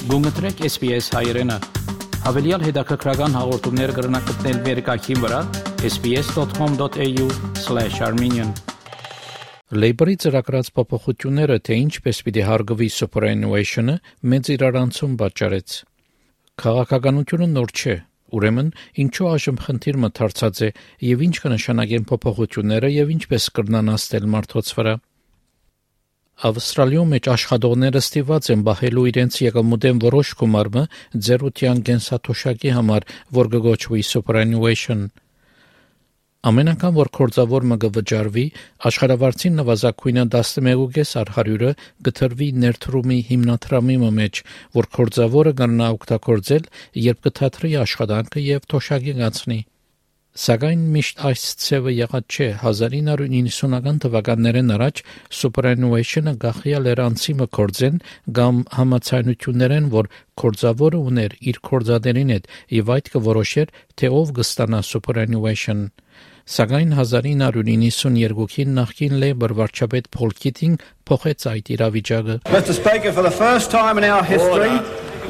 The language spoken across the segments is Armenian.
Գումտրեք SPS հայերենը։ Հավելյալ հետաքրքրական հաղորդումներ կգրնակցնել վերկայքին վրա sbs.com.au/armenian Լեյբորի ծրագրած փոփոխությունները թե ինչպես պիտի հարգվի superannuation-ը մեծ իրարանցում պատճառեց։ Քաղաքականությունը նոր չէ, ուրեմն ինչու այժմ խնդիրը դարձած է եւ ինչ կնշանակեն փոփոխությունները եւ ինչպես կրնանաստել մարդոց վրա։ Ավստրալիայում մեջ աշխատողները ստիպված են բախելու իրենց եկամուտեն որոշ գումարը ձեռության կենսաթոշակի համար, որ կոչվի superannuation։ Ամեն անգամ, որ կորձավոր կվճարվի, աշխատավարձին նվազագույնը 11.5% կտրվի ներդրումի հիմնադրամի մեջ, որ կորձավորը կգնա օգտագործել, երբ կթատրի աշխատանքը եւ թոշակի կացնի։ Սակայն միշտ այս ցևը եղած չէ 1990-ական թվականներն առաջ superannuation-ը գախյալ էր անցիմը կորձեն կամ համացանություններն, որ կորձավորը ուներ իր կորձադերին հետ եւ այդ կորոշեր, թե ով կստանա superannuation։ Սակայն 1992-ին նախկին Labour վարչապետ Paul Keating փոխեց այդ իրավիճակը։ Mr. Speaker, for the first time in our history,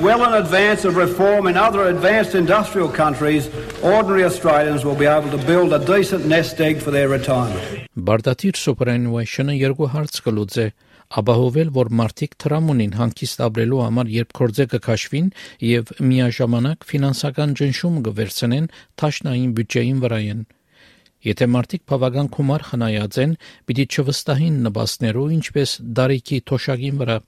well in advance of reform in other advanced industrial countries, ordinary Australians will be able to build a decent nest egg for their retirement. Բարդատիր superannuation-ը երկու հարց կլուծե, ապահովել, որ մարդիկ տրամ ունին հանգիստ ապրելու համար, երբ կորձը կքաշվին եւ միաժամանակ ֆինանսական ճնշում կվերցնեն տաշնային բյուջեին վրայեն։ Եթե մարդիկ բավական գումար խնայած են, պիտի չվստահին նպաստներու, ինչպես դարիքի թոշակին վրա։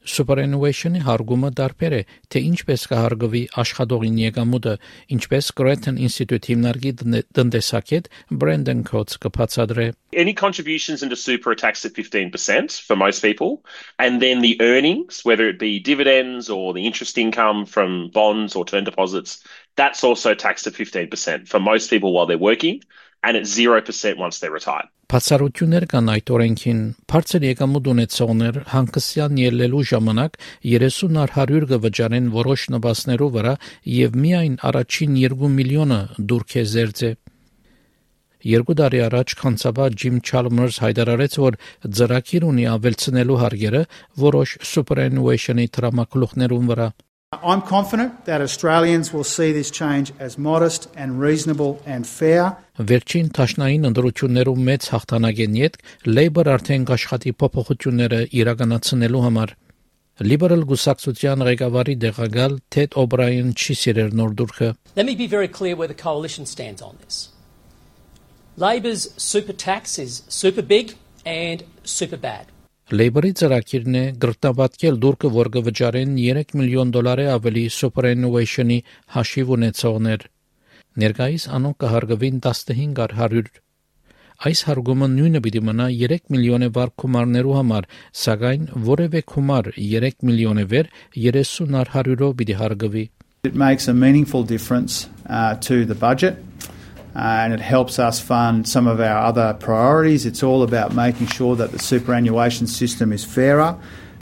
Superannuation-ի հարգումը դարբեր է, թե ինչպես կհարգվի աշխատողին եկամուտը, ինչպես Grattan Institute հիմնարկի տնտեսագետ Brendan Coates կբացատրե։ Any contributions into super are taxed at 15% for most people, and then the earnings, whether it be dividends or the interest income from bonds or term deposits, that's also taxed at 15% for most people while they're working, and at 0% once they're retired. Բացառություններ կան այդ օրենքին, բարձր եկամուտ ունեցողներ հանգստյան ելնելու ժամանակ 30-100 կվճարեն որոշ նպաստներով վրա եւ միայն առաջին 2 միլիոնը դուրք է զերծ է։ 2 տարի առաջ քանցաբար Jim Chalmers հայտարարեց, որ ծրագիր ունի ավելցնելու հարգերը որոշ superannuation-ի տրամակլուխներուն վրա։ I'm confident that Australians will see this change as modest and reasonable and fair. Վերջին տաշնային ընդրություններում մեծ հաղթանակեն յետ Labour արդեն աշխատի փոփոխությունները իրականացնելու համար։ Liberal գուսակցության ղեկավարի դեղակալ Ted O'Brien չի սիրել նոր դուրքը։ Let me be very clear where the coalition stands on this. Labor's super tax is super big and super bad. Labour-ի ծրագիրն է գրտնապատկել դուրքը, որ կվճարեն $3 միլիոն ավելի superannuation-ի հաշիվ ունեցողներ։ Ներկայիս անոնք կհարգվին 15%։ Այս հարգումը նույնը պիտի մնա 3 միլիոնե վար գումարներու համար, սակայն որևէ գումար 3 միլիոնե վեր 30-100-ով պիտի հարգվի։ It makes a meaningful difference to the budget. And it helps us fund some of our other priorities. It's all about making sure that the superannuation system is fairer,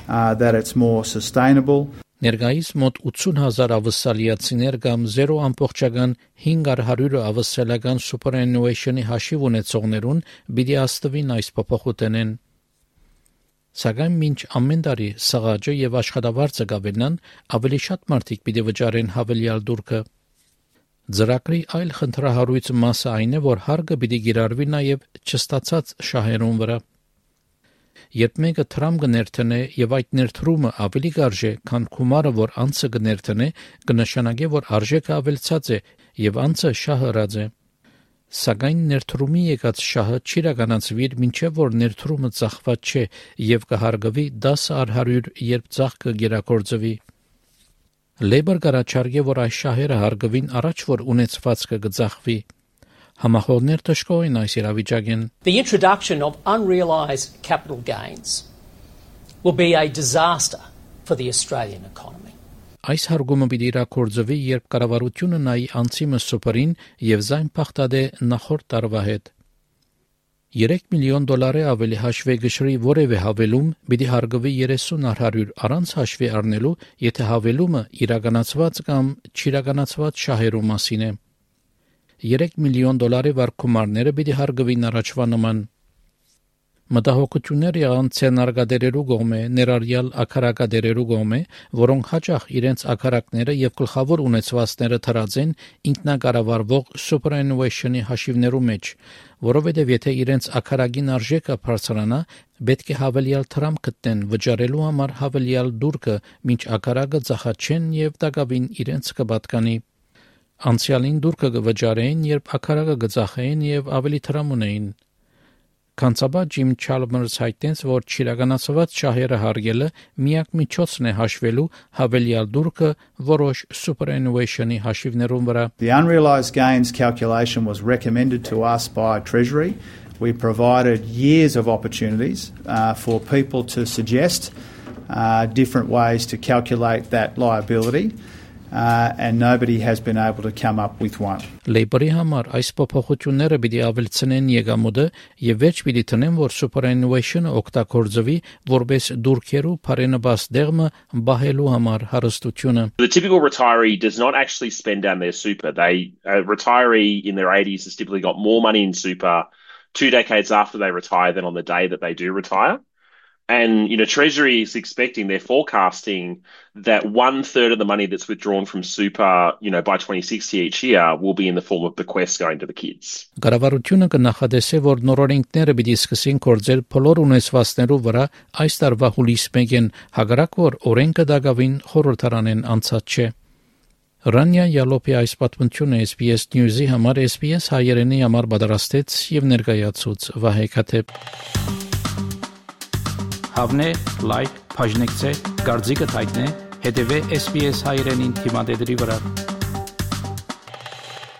that it's more sustainable. Ներկայիս մոտ 80,000 ավստրալիացիներ կամ 0.5% ավստրալիական superannuation-ի հաշիվ ունեցողներուն պիտի աստվին այս փոփոխությունեն։ Սակայն մինչ ամեն տարի սղաճը եւ աշխատավարձը կավելնան, ավելի շատ մարդիկ պիտի վճարեն հավելյալ դուրքը։ Ծրագրի այլ խնդրահարույց մասը այն է, որ հարգը պիտի գիրառվի նաև չստացած շահերուն վրա։ Երբ մեկը տրամ կներթնե եւ այդ ներդրումը ավելի կարժե, քան գումարը, որ անցը կներթնե, կնշանակի, որ արժեքը ավելցած է եւ անցը շահըրած է։ Սակայն ներդրումի եկած շահը չիրականացվի, մինչեւ որ ներդրումը ծախված չէ եւ կհարգվի 10/100, երբ ծախքը գերակորձվի։ Labour կարաչարգե, որ այս շահերը հարգվին առաջ, որ ունեցվածքը կծախվի։ Համախոհներ տշկոյն այս իրավիճակեն։ The introduction of unrealised capital gains will be a disaster for the Australian economy. Այս հարգումը պիտի իրագործվի, երբ կառավարությունը նայի անցիմը սուպերին եւ զայն փախտադե նախորդ տարվա հետ։ $3 միլիոն ավելի հաշվեկշռի որևէ հավելում պիտի հարգվի 30-100 առանց հաշվի առնելու, եթե հավելումը իրականացված կամ չիրականացված շահերու մասին է։ $3 միլիոն վարկումարները պիտի հարգվին առաջվա նման։ Մտահոգություններ եղան ցենարգադերերու կողմէ, ներառյալ ակարակադերերու կողմէ, որոնք հաճախ իրենց ակարակները եւ գլխավոր ունեցվածքները թրածեն ինքնակառավարվող superannuation-ի հաշիվներու մեջ, որովհետեւ եթե իրենց ակարագին արժեքը բարձրանա, պետք է հավելյալ տրամ գտնեն վճարելու համար հավելյալ դուրքը, մինչ ակարակը ծախաչեն եւ դակավին իրենց կպատկանի։ Անցյալին դուրքը կվճարեին, երբ ակարակը կծախեին եւ ավելի տրամ ունեին։ Կանցաբար Ջիմ Չալմերս հայտնեց, որ չիրականացված շահերը հարգելը միակ միջոցն է հաշվելու հավելյալ դուրքը որոշ superannuation-ի հաշիվներուն վրա։ The unrealised gains calculation was recommended to us by Treasury. We provided years of opportunities for people to suggest different ways to calculate that liability. And nobody has been able to come up with one. Լեյբորի համար այս փոփոխությունները պիտի ավելցնեն եկամուտը եւ վերջ պիտի տնեն, որ superannuation-ը օգտագործվի որպես դուրքերու բարենպաստ դեղմը բահելու համար հարստությունը։ The typical retiree does not actually spend down their super. A retiree in their 80s has typically got more money in super 2 decades after they retire than on the day that they do retire. And, Treasury is expecting, they're forecasting that 1/3 of the money that's withdrawn from super, by 2060 each year will be in the form of bequests going to the kids. Կառավարությունը կնախադեսի, որ նորօրենքները պիտի սկսեն կործել բոլոր ունեցվածքներու վրա այս տարվա հուլիս 1-ին, հակառակ որ օրենքը դակավին խորհրդարանեն անցած չէ։ Ռանյա Յալոպի այս պատմությունը SBS News-ի համար SBS հայերենի համար պատրաստեց եւ ներկայացուց Վահե Քաթեփ։ Հավնե, լայք, բաժնեկցե, դարձիկը թայտնե, հետեւե SBS հայերենին թիմադեդի վրա։